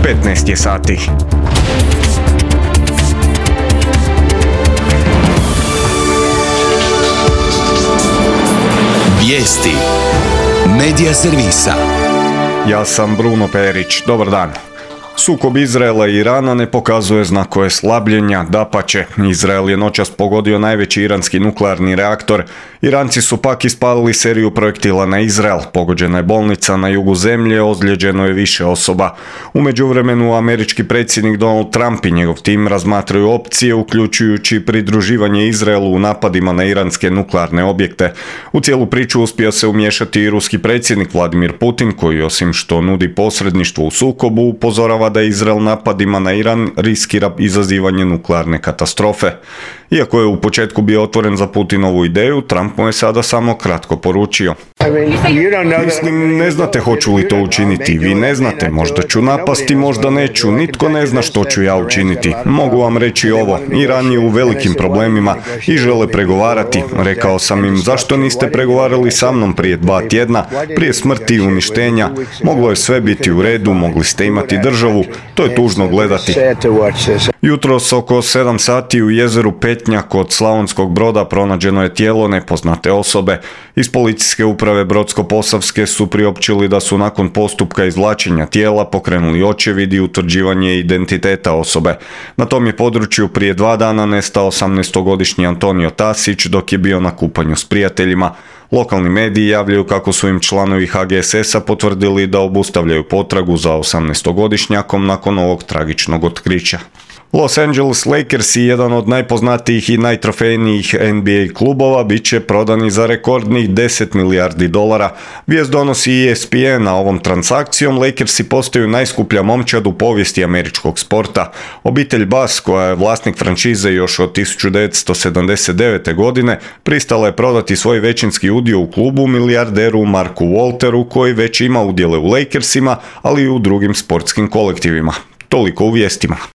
15 je sati. Vijesti Medija servisa. Ja sam Bruno Perić. Dobar dan. Sukob Izraela i Irana ne pokazuje znakove slabljenja, dapače. Izrael je noćas pogodio najveći iranski nuklearni reaktor. Iranci su pak ispalili seriju projektila na Izrael. Pogođena je bolnica na jugu zemlje, ozlijeđeno je više osoba. U međuvremenu američki predsjednik Donald Trump i njegov tim razmatraju opcije, uključujući pridruživanje Izraelu u napadima na iranske nuklearne objekte. U cijelu priču uspio se umiješati i ruski predsjednik Vladimir Putin, koji osim što nudi posredništvo u sukobu, upozorava da Izrael napadima na Iran riskira izazivanje nuklearne katastrofe. Iako je u početku bio otvoren za Putinovu ideju, Trump mu je sada samo kratko poručio. Mislim, ne znate hoću li to učiniti, vi ne znate, možda ću napasti, možda neću, nitko ne zna što ću ja učiniti. Mogu vam reći ovo, Iran je u velikim problemima i žele pregovarati. Rekao sam im, zašto niste pregovarali sa mnom prije 2 tjedna, prije smrti i uništenja, moglo je sve biti u redu, mogli ste imati državu, to je tužno gledati. Jutros oko 7 sati u jezeru Petnja kod Slavonskog Broda pronađeno je tijelo nepoznate osobe. Iz policijske uprave Brodsko-posavske su priopćili da su nakon postupka izvlačenja tijela pokrenuli očevid i utvrđivanje identiteta osobe. Na tom je području prije 2 dana nestao 18-godišnji Antonio Tasić dok je bio na kupanju s prijateljima. Lokalni mediji javljaju kako su im članovi HGSS-a potvrdili da obustavljaju potragu za 18-godišnjakom nakon ovog tragičnog otkrića. Los Angeles Lakers, jedan od najpoznatijih i najtrofejnijih NBA klubova, bit će prodani za rekordnih $10 milijardi. Vijest donosi ESPN, a ovom transakcijom Lakersi postaju najskuplja momčad u povijesti američkog sporta. Obitelj Bass, koja je vlasnik franšize još od 1979. godine, pristala je prodati svoj većinski udio u klubu milijarderu Marku Walteru, koji već ima udjele u Lakersima, ali i u drugim sportskim kolektivima. Toliko u vijestima.